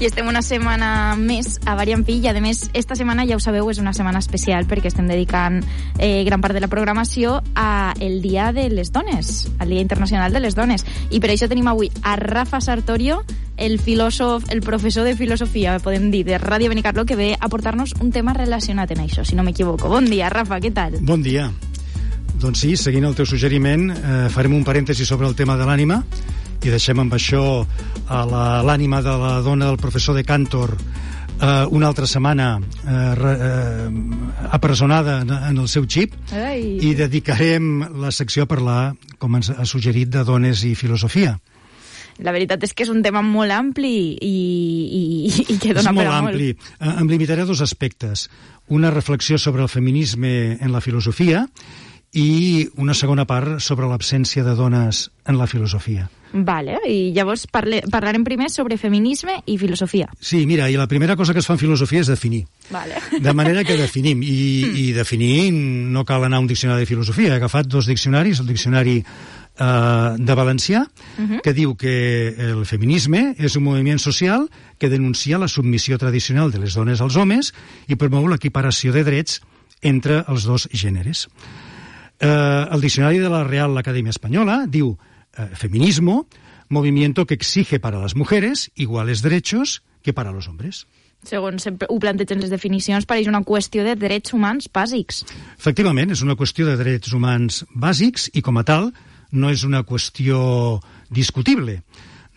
I estem una setmana més a Variant Pi i, a més, esta setmana, ja ho sabeu, és una setmana especial perquè estem dedicant gran part de la programació al Dia de les Dones, al Dia Internacional de les Dones. I per això tenim avui a Rafa Sartorio, el filòsof, el professor de filosofia, podem dir, de Ràdio Benicarló, que ve a portar-nos un tema relacionat amb això, si no m'equivoco. Bon dia, Rafa, què tal? Bon dia. Doncs sí, seguint el teu suggeriment, farem un parèntesi sobre el tema de l'ànima i deixem amb això a l'ànima de la dona del professor de Cantor una altra setmana apresonada en el seu xip. Ai. I dedicarem la secció a parlar, com ens ha suggerit, de dones i filosofia. La veritat és que és un tema molt ampli i que dona per a molt. És molt ampli. Em limitaré a dos aspectes. Una reflexió sobre el feminisme en la filosofia i una segona part sobre l'absència de dones en la filosofia. Vale, i llavors parlarem primer sobre feminisme i filosofia. Sí, mira, i la primera cosa que es fa en filosofia és definir. Vale. De manera que definim, i definir no cal anar a un diccionari de filosofia. He agafat dos diccionaris, el diccionari de valencià, que diu que el feminisme és un moviment social que denuncia la submissió tradicional de les dones als homes i promou l'equiparació de drets entre els dos gèneres. El diccionari de la Real Academia Española diu feminismo, movimiento que exige para las mujeres iguales derechos que para los hombres. Segons ho plantegen les definicions, pareix una qüestió de drets humans bàsics. Efectivament, és una qüestió de drets humans bàsics i, com a tal, no és una qüestió discutible.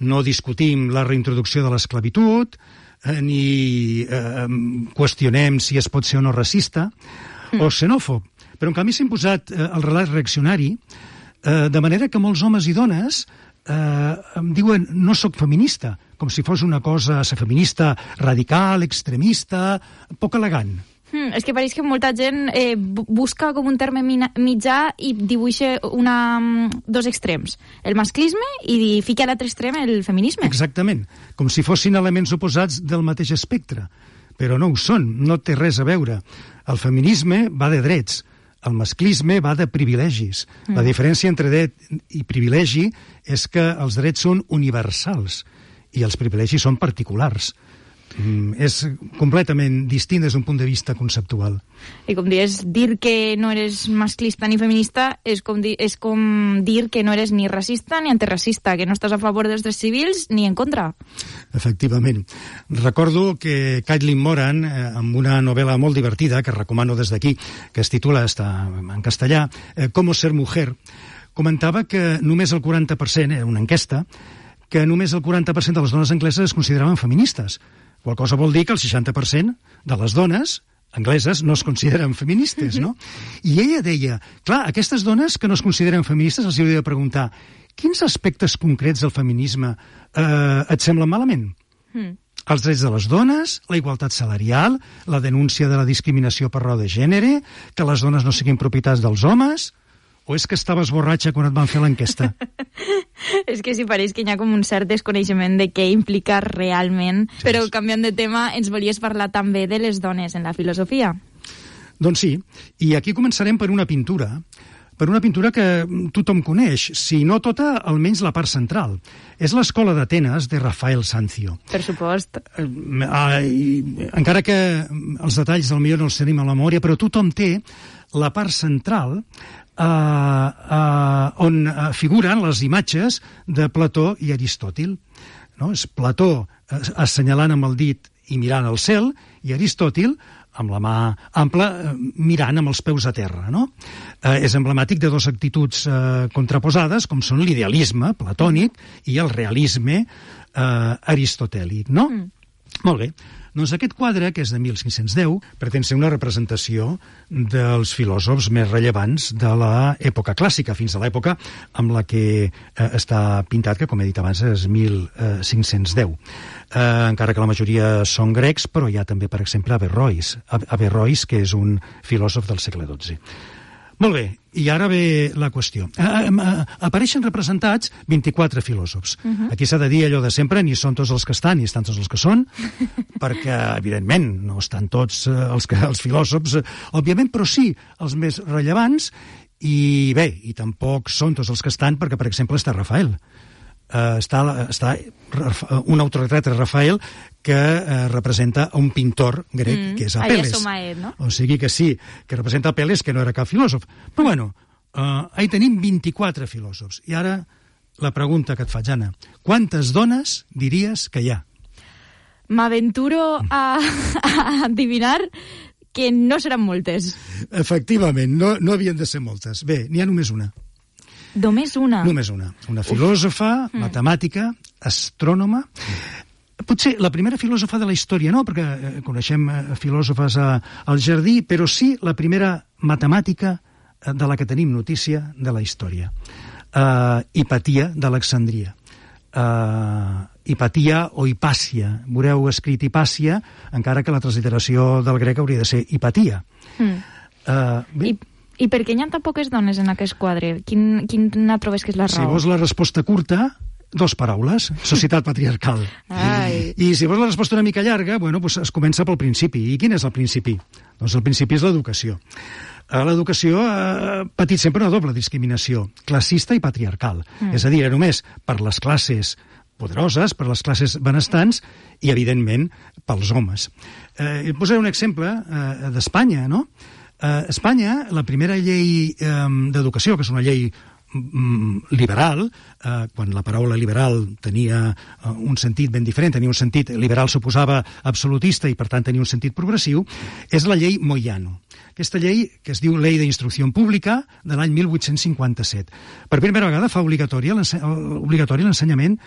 No discutim la reintroducció de l'esclavitud, ni qüestionem si es pot ser o no racista o xenòfob. Però, en canvi, s'ha imposat el relat reaccionari, de manera que molts homes i dones em diuen no sóc feminista, com si fos una cosa, ser feminista radical, extremista, poc elegant. És que pareix que molta gent busca com un terme mitjà i dibuixa dos extrems, el masclisme i fica a l'altre extrem el feminisme. Exactament, com si fossin elements oposats del mateix espectre, però no ho són, no té res a veure. El feminisme va de drets, el masclisme va de privilegis. La diferència entre dret i privilegi és que els drets són universals i els privilegis són particulars. És completament distint des d'un punt de vista conceptual. I com dius, dir que no eres masclista ni feminista és com dir que no eres ni racista ni antiracista, que no estàs a favor dels drets civils ni en contra. Efectivament. Recordo que Caitlin Moran, amb una novel·la molt divertida, que recomano des d'aquí, que es titula, està en castellà, Cómo ser mujer, comentava que només el 40%, era una enquesta, que només el 40% de les dones angleses es consideraven feministes. Qual cosa vol dir que el 60% de les dones angleses no es consideren feministes, no? I ella deia, clar, aquestes dones que no es consideren feministes els hauria de preguntar quins aspectes concrets del feminisme et semblen malament? Els drets de les dones, la igualtat salarial, la denúncia de la discriminació per raó de gènere, que les dones no siguin propietats dels homes... O és que estaves borratxa quan et van fer l'enquesta? És que sí, pareix que hi ha com un cert desconeixement de què implica realment. Sí. Però canviant de tema, ens volies parlar també de les dones en la filosofia. Doncs sí, i aquí començarem per una pintura que tothom coneix, si no tota, almenys la part central. És l'Escola d'Atenes de Rafael Sanzio. Per supost. Encara que els detalls del millor no els tenim a la memòria, però tothom té la part central on figuren les imatges de Plató i Aristòtil. No? És Plató assenyalant amb el dit i mirant al cel, i Aristòtil amb la mà ampla mirant amb els peus a terra. No? És emblemàtic de dues actituds contraposades, com són l'idealisme platònic i el realisme aristotèlic. No? Molt bé. Doncs aquest quadre, que és de 1510, pretén ser una representació dels filòsofs més rellevants de l'època clàssica, fins a l'època amb la que està pintat, que com he dit abans és 1510. Encara que la majoria són grecs, però hi ha també, per exemple, Averrois, que és un filòsof del segle XII. Molt bé, i ara ve la qüestió. Apareixen representats 24 filòsofs. Aquí s'ha de dir allò de sempre, ni són tots els que estan, ni estan tots els que són, perquè, evidentment, no estan tots els filòsofs, òbviament, però sí els més rellevants, i bé, i tampoc són tots els que estan, perquè, per exemple, està Rafael. està un autoretrat de Rafael que representa un pintor grec, que és Apel·les. No? O sigui que sí, que representa Apel·les, que no era cap filòsof. Però bueno, ahí tenim 24 filòsofs. I ara la pregunta que et faig, Anna. Quantes dones diries que hi ha? M'aventuro a adivinar que no seran moltes. Efectivament, no havien de ser moltes. Bé, n'hi ha només una. Només una? Només una. Una filòsofa, matemàtica, astrònoma. Potser la primera filòsofa de la història, no, perquè coneixem filòsofes al jardí, però sí la primera matemàtica de la que tenim notícia de la història. Hipatia d'Alexandria. Hipatia o Hipàcia. Veureu escrit Hipàcia, encara que la transliteració del grec hauria de ser Hipatia. I per què hi ha tan poques dones en aquest quadre? Quina trobes que és la raó? Si vols la resposta curta, 2 paraules, societat patriarcal. I si vols la resposta una mica llarga, bueno, pues es comença pel principi. I quin és el principi? Doncs el principi és l'educació. L'educació ha patit sempre una doble discriminació, classista i patriarcal. És a dir, només per les classes poderoses, per les classes benestants i, evidentment, pels homes. Posaré un exemple d'Espanya, no? A Espanya, la primera llei d'educació, que és una llei liberal, quan la paraula liberal tenia un sentit ben diferent, tenia un sentit liberal, suposava absolutista i per tant tenia un sentit progressiu, és la llei Moyano. Aquesta llei, que es diu Ley d'Instrucció Pública, de l'any 1857. Per primera vegada fa obligatori l'ensenyament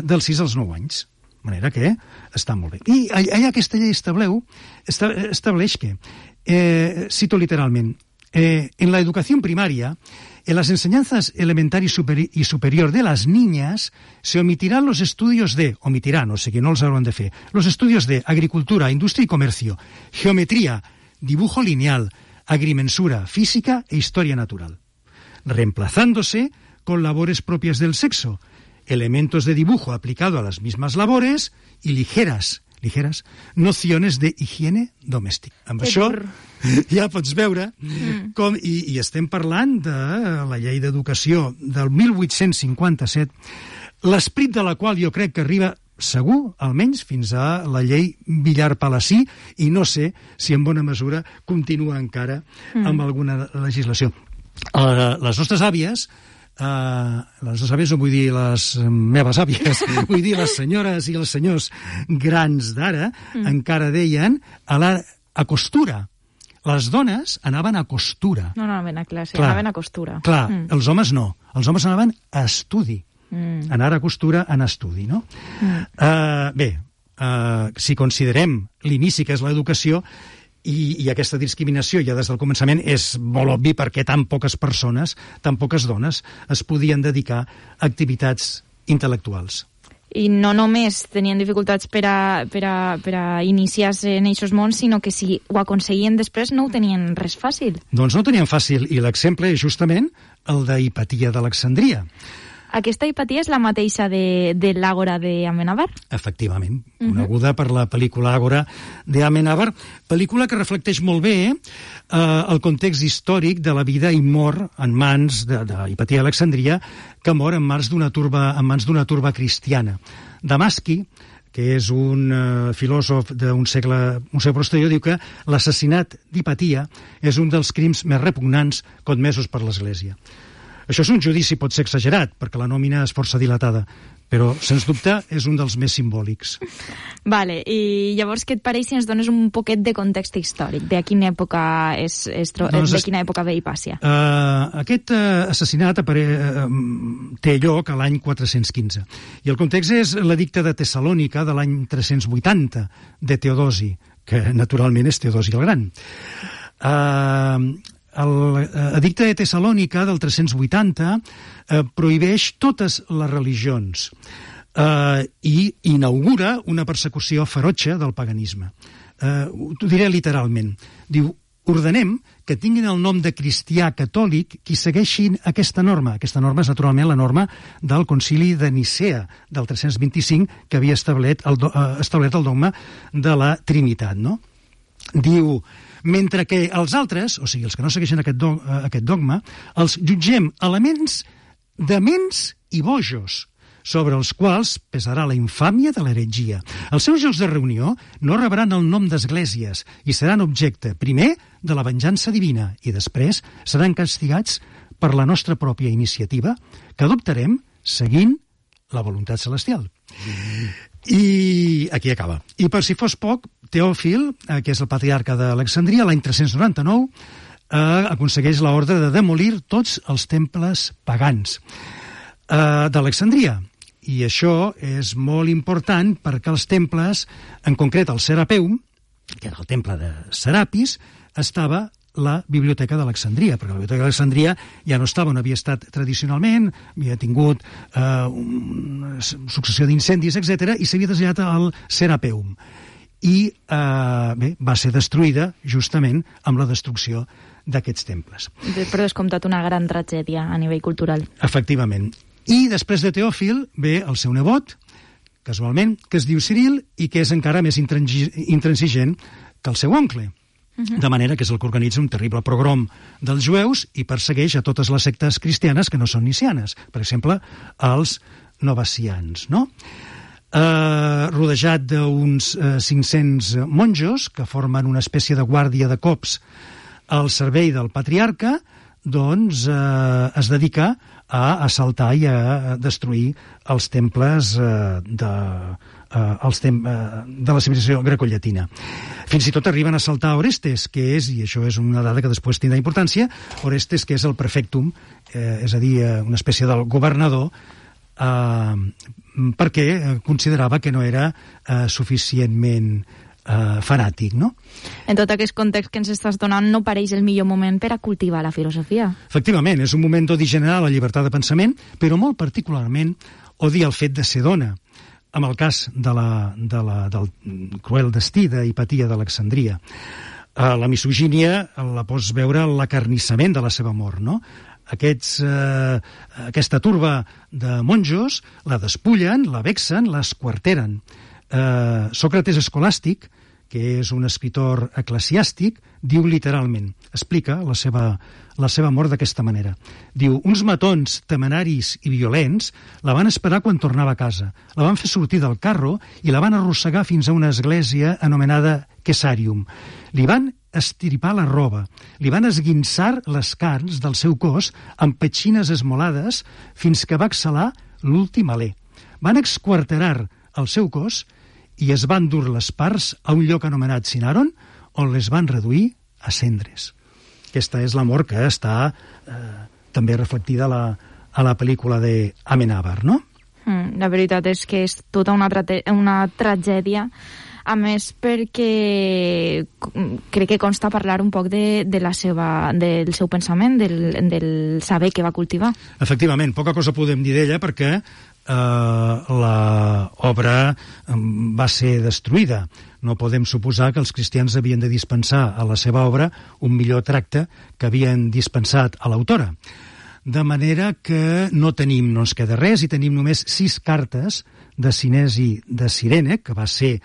dels 6 als 9 anys. De manera que està molt bé. I allà aquesta llei estableix que, cito literalment, en la educación primaria, en las enseñanzas elemental y superior de las niñas se omitirán los estudios de, o sigui, no els hauran de fer, los estudios de agricultura, industria y comercio, geometría, dibujo lineal, agrimensura, física e historia natural, reemplazándose con labores propias del sexo, elementos de dibujo aplicado a las mismas labores y ligeras nociones de higiene domèstica. Amb això ja pots veure com, i estem parlant de la llei d'educació del 1857, l'esperit de la qual jo crec que arriba segur, almenys, fins a la llei Villar-Palasí, i no sé si en bona mesura continua encara amb alguna legislació. Les nostres àvies, no vull dir les meves àvies, vull dir les senyores i els senyors grans d'ara, encara deien a costura. Les dones anaven a costura. No anaven a classe, anaven a costura. Clar, els homes no. Els homes anaven a estudi. Anar a costura en estudi, no? Bé, si considerem l'inici que és l'educació, i aquesta discriminació ja des del començament és molt obvi perquè tan poques persones, tan poques dones es podien dedicar a activitats intel·lectuals. I no només tenien dificultats per a iniciar-se en aquests mons, sinó que si ho aconseguien després no ho tenien res fàcil. Doncs no ho tenien fàcil, i l'exemple és justament el de Hipatia d'Alexandria. Aquesta Hipatia és la mateixa de l'Àgora d'Amenàbar? Efectivament, coneguda per la pel·lícula Àgora d'Amenàbar, pel·lícula que reflecteix molt bé el context històric de la vida i mort en mans d'Hipatia d'Alexandria, que mor en mans d'una turba cristiana. Damasqui, que és un filòsof d'un segle posterior, diu que l'assassinat d'Hipatia és un dels crims més repugnants commesos per l'Església. Això és un judici, pot ser exagerat, perquè la nòmina és força dilatada, però, sens dubte, és un dels més simbòlics. Vale, i llavors què et pareix si ens dones un poquet de context històric? De quina època ve Hipàcia? Aquest assassinat té lloc a l'any 415, i el context és l'edicte de Tessalònica de l'any 380 de Teodosi, que naturalment és Teodosi el Gran. L'edicte de Tessalònica del 380 prohibeix totes les religions i inaugura una persecució ferotge del paganisme. T'ho diré literalment. Diu, ordenem que tinguin el nom de cristià catòlic qui segueixin aquesta norma. Aquesta norma és naturalment la norma del Concili de Nicea del 325 que havia establert el dogma de la Trinitat, no? Diu, mentre que els altres, o sigui, els que no segueixen aquest dogma, els jutgem elements dements i bojos, sobre els quals pesarà la infàmia de l'heretgia. Els seus llocs de reunió no rebran el nom d'esglésies i seran objecte, primer, de la venjança divina i després seran castigats per la nostra pròpia iniciativa que adoptarem seguint la voluntat celestial. I aquí acaba. I per si fos poc, Teòfil, que és el patriarca d'Alexandria, l'any 399, aconsegueix l'ordre de demolir tots els temples pagans d'Alexandria. I això és molt important perquè els temples, en concret el Serapeum, que era el temple de Serapis, estava la Biblioteca d'Alexandria, perquè la Biblioteca d'Alexandria ja no estava on havia estat tradicionalment, havia tingut una successió d'incendis, etc., i s'havia traslladat al Serapeum. I va ser destruïda justament amb la destrucció d'aquests temples. Per descomptat, una gran tragèdia a nivell cultural. Efectivament. I després de Teòfil ve el seu nebot, casualment, que es diu Ciril i que és encara més intransigent que el seu oncle. De manera que és el que organitza un terrible pogrom dels jueus i persegueix a totes les sectes cristianes que no són nicianes. Per exemple, els novacians, no? Rodejat d'uns 500 monjos que formen una espècie de guàrdia de cops al servei del patriarca, doncs es dedica a assaltar i a destruir els temples de la civilització grecollatina. Fins i tot arriben a assaltar Orestes, que és, i això és una dada que després tindrà importància, Orestes, que és el prefectum, és a dir, una espècie del governador, perquè considerava que no era suficientment fanàtic, no? En tot aquest context que ens estàs donant, no pareix el millor moment per a cultivar la filosofia. Efectivament, és un moment d'odi general a la llibertat de pensament, però molt particularment odia el fet de ser dona, amb el cas del cruel destí d'Hipatia d'Alexandria. La misogínia la pots veure en l'acarnissament de la seva mort, no? Aquesta turba de monjos la despullen, la vexen, l'esquarteren. Sòcrates Escolàstic, que és un escritor eclesiàstic, diu literalment, explica la seva mort d'aquesta manera. Diu, uns matons temeraris i violents la van esperar quan tornava a casa, la van fer sortir del carro i la van arrossegar fins a una església anomenada Quesarium. Li van estirpar la roba, li van esguinçar les carns del seu cos amb petxines esmolades fins que va exhalar l'últim alè. Van exquarterar el seu cos i es van dur les parts a un lloc anomenat Sinaron, on les van reduir a cendres. Aquesta és la mort que està també reflectida a la pel·lícula d'Amenábar, no? La veritat és que és tota una tragèdia, a més perquè crec que consta parlar un poc del seu pensament, del saber que va cultivar. Efectivament, poca cosa podem dir d'ella perquè l'obra va ser destruïda. No podem suposar que els cristians havien de dispensar a la seva obra un millor tracte que havien dispensat a l'autora. De manera que no ens queda res i tenim només 6 cartes de Cinesi de Cirene, que va ser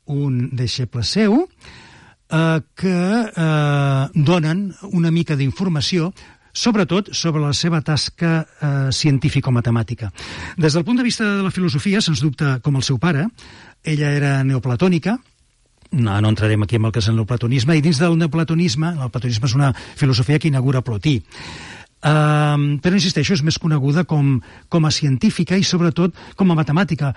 un deixeble seu, que donen una mica d'informació sobretot sobre la seva tasca científico-matemàtica. Des del punt de vista de la filosofia, sens dubte com el seu pare, ella era neoplatònica, no entrarem aquí en el que és el neoplatonisme, i dins del neoplatonisme, el platonisme és una filosofia que inaugura Plotí, però insisteixo, és més coneguda com a científica i sobretot com a matemàtica,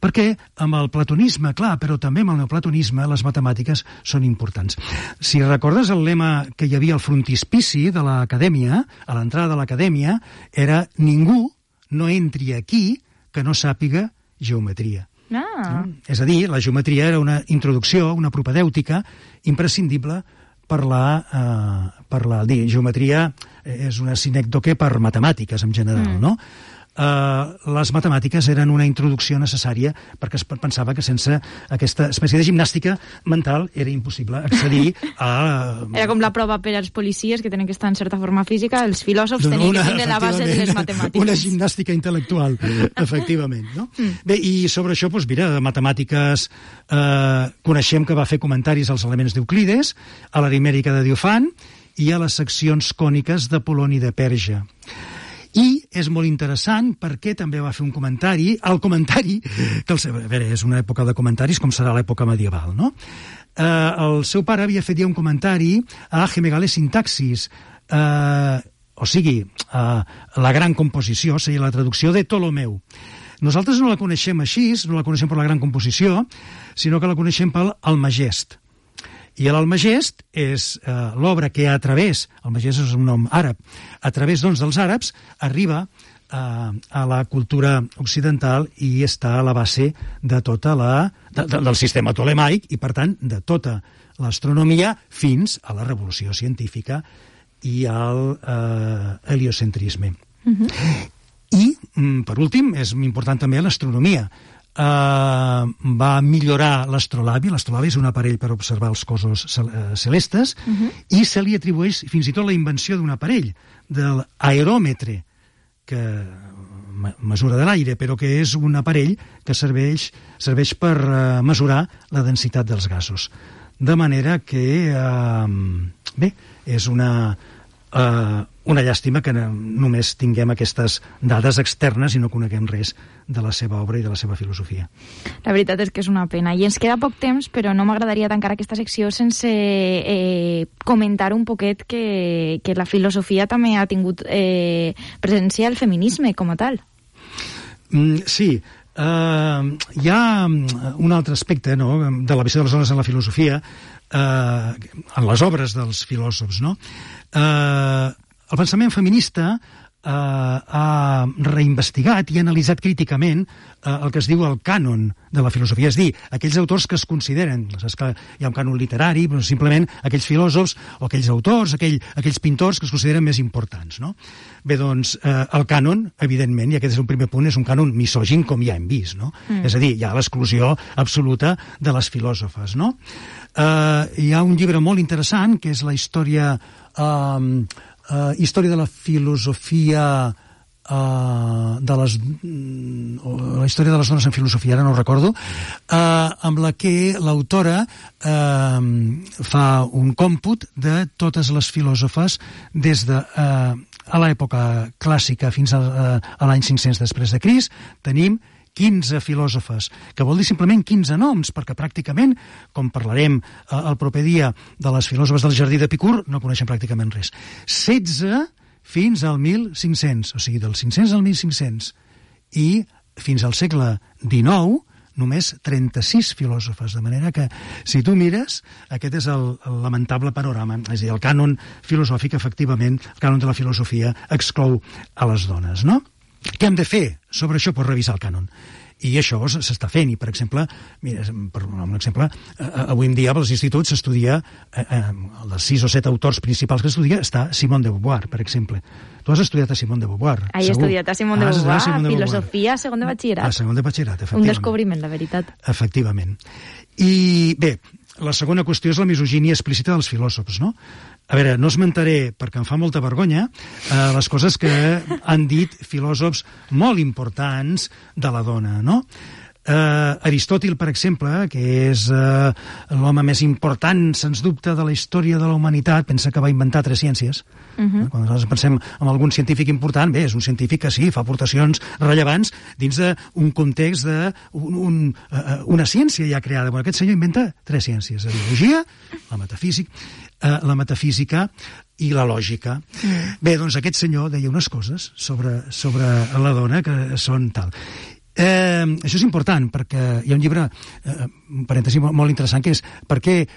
perquè amb el platonisme, clar, però també amb el neoplatonisme les matemàtiques són importants. Si recordes el lema que hi havia al frontispici de l'acadèmia, a l'entrada de l'acadèmia, era ningú no entri aquí que no sàpiga geometria. No? És a dir, la geometria era una introducció, una propedèutica imprescindible per la geometria és una sinècdoque per matemàtiques en general, no? Les matemàtiques eren una introducció necessària perquè es pensava que sense aquesta espècie de gimnàstica mental era impossible accedir a... Era com la prova per als policies que tenen que estar en certa forma física, els filòsofs tenien que tindre la base de les matemàtiques. Una gimnàstica intel·lectual, efectivament, no? Bé, i sobre això, doncs mira, de matemàtiques coneixem que va fer comentaris als elements d'Euclides, a l'aritmètica de Diofant i a les seccions còniques d'Apol·loni de Perja. I és molt interessant perquè també va fer un comentari, el comentari, que a veure, és una època de comentaris com serà l'època medieval, no? El seu pare havia fet ja un comentari a Gemegale Sintaxis, o sigui, la gran composició, seria la traducció de Ptolomeu. Nosaltres no la coneixem així, no la coneixem per la gran composició, sinó que la coneixem pel Almagest. I l'Almagest és l'obra que a través, Almagest és un nom àrab, a través doncs, dels àrabs arriba a la cultura occidental i està a la base de tota del sistema tolemaic i, per tant, de tota l'astronomia fins a la revolució científica i al heliocentrisme. I, per últim, és important també l'astronomia. Va millorar l'astrolabi. L'astrolabi és un aparell per observar els cossos celestes i se li atribueix fins i tot la invenció d'un aparell, de l'aeròmetre, que mesura de l'aire, però que és un aparell que serveix per mesurar la densitat dels gasos. De manera que, bé, és una llàstima que només tinguem aquestes dades externes i no coneguem res de la seva obra i de la seva filosofia. La veritat és que és una pena. I ens queda poc temps, però no m'agradaria tancar aquesta secció sense comentar un poquet que la filosofia també ha tingut presència al feminisme com a tal. Sí. Hi ha un altre aspecte, no?, de la visió de les dones en la filosofia, en les obres dels filòsofs, no? El pensament feminista ha reinvestigat i ha analitzat críticament el que es diu el cànon de la filosofia, és a dir, aquells autors que es consideren, saps que hi ha un cànon literari, però simplement aquells filòsofs o aquells autors, aquells pintors que es consideren més importants, no? Bé, doncs, el cànon, evidentment, i aquest és un primer punt, és un cànon misògin, com ja hem vist, no? És a dir, hi ha l'exclusió absoluta de les filòsofes, no? Hi ha un llibre molt interessant, que és la història de la filosofia, la història de les dones en filosofia, ara no ho recordo, amb la que l'autora fa un còmput de totes les filòsofes des de a l'època clàssica fins a l'any 500 després de Crist. Tenim 15 filòsofes, que vol dir simplement 15 noms, perquè pràcticament, com parlarem el proper dia de les filòsofes del Jardí d'Epicur, no coneixen pràcticament res. 16 fins al 1500, o sigui, del 500 al 1500. I fins al segle XIX, només 36 filòsofes, de manera que, si tu mires, aquest és el lamentable panorama. És a dir, el cànon filosòfic, efectivament, el cànon de la filosofia exclou a les dones, no? Què hem de fer sobre això? Pues revisar el cànon. I això s'està fent. I, per exemple, mira, per un exemple, avui en dia als instituts s'estudia, dels 6 o 7 autors principals que s'estudia, està Simone de Beauvoir, per exemple. Tu has estudiat a Simone de Beauvoir, segur. He estudiat a Simone de Beauvoir, filosofia, segon de batxillerat. A segon de batxillerat, efectivament. Un descobriment, la veritat. Efectivament. I, bé, la segona qüestió és la misogínia explícita dels filòsofs, no? A veure, no esmentaré, perquè em fa molta vergonya, les coses que han dit filòsofs molt importants de la dona, no? Aristòtil, per exemple, que és l'home més important, sens dubte, de la història de la humanitat, pensa que va inventar 3 ciències. Quan nosaltres pensem en algun científic important, bé, és un científic que sí, fa aportacions rellevants dins d'un context d'una ciència ja creada. Bueno, aquest senyor inventa 3 ciències, la biologia, la metafísica i la lògica. Bé, doncs aquest senyor deia unes coses sobre la dona que són tal. Això és important perquè hi ha un llibre, un parèntesi molt interessant, que és per què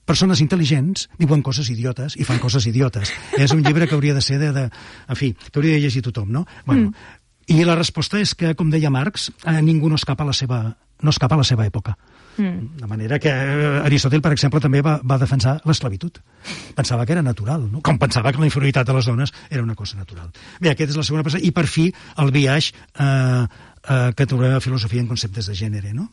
persones intel·ligents diuen coses idiotes i fan coses idiotes. És un llibre que hauria de ser en fi, que hauria de llegir tothom, no? Bueno, i la resposta és que, com deia Marx, ningú no escapa a la seva època. De manera que Aristòtil, per exemple, també va defensar l'esclavitud. Pensava que era natural, no? Com pensava que la inferioritat de les dones era una cosa natural. Bé, aquesta és la segona passada. I, per fi, el biaix que trobem a filosofia en conceptes de gènere, no?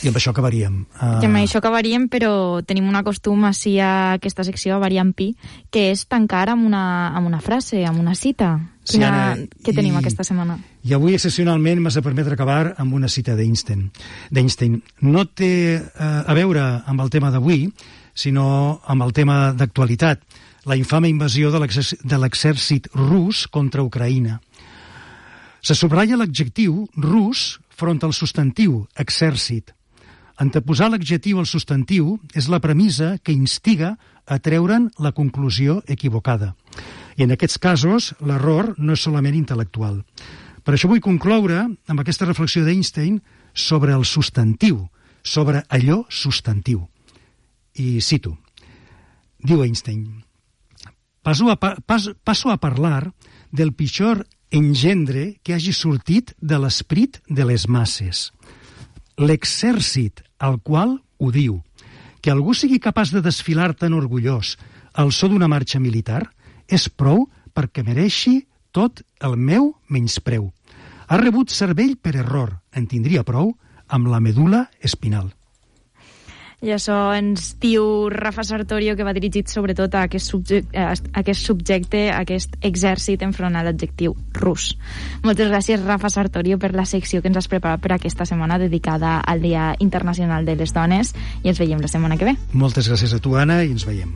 I amb això acabaríem. I amb això acabaríem, però tenim un costum així a aquesta secció, a Variant Pi, que és tancar amb una frase, amb una cita. Sí, Anna, què tenim aquesta setmana? I avui, excepcionalment, m'has de permetre acabar amb una cita d'Einstein. No té a veure amb el tema d'avui, sinó amb el tema d'actualitat. la infame invasió de l'exèrcit rus contra Ucraïna. Se subratlla l'adjectiu rus front al substantiu exèrcit. Anteposar l'adjectiu al substantiu és la premissa que instiga a treure'n la conclusió equivocada. I en aquests casos, l'error no és solament intel·lectual. Per això vull concloure amb aquesta reflexió d'Einstein sobre el substantiu, sobre allò substantiu. I cito, diu Einstein, passo a parlar del pitjor engendre que hagi sortit de l'esperit de les masses. L'exèrcit al qual odio. Que algú sigui capaç de desfilar tan orgullós al so d'una marxa militar és prou perquè mereixi tot el meu menyspreu. Ha rebut cervell per error, en tindria prou amb la medul·la espinal. I això ens diu Rafa Sartorio, que va dirigit sobretot a aquest subjecte, a aquest exèrcit enfront a l'adjectiu rus. Moltes gràcies, Rafa Sartorio, per la secció que ens has preparat per aquesta setmana dedicada al Dia Internacional de les Dones, i ens veiem la setmana que ve. Moltes gràcies a tu, Anna, i ens veiem.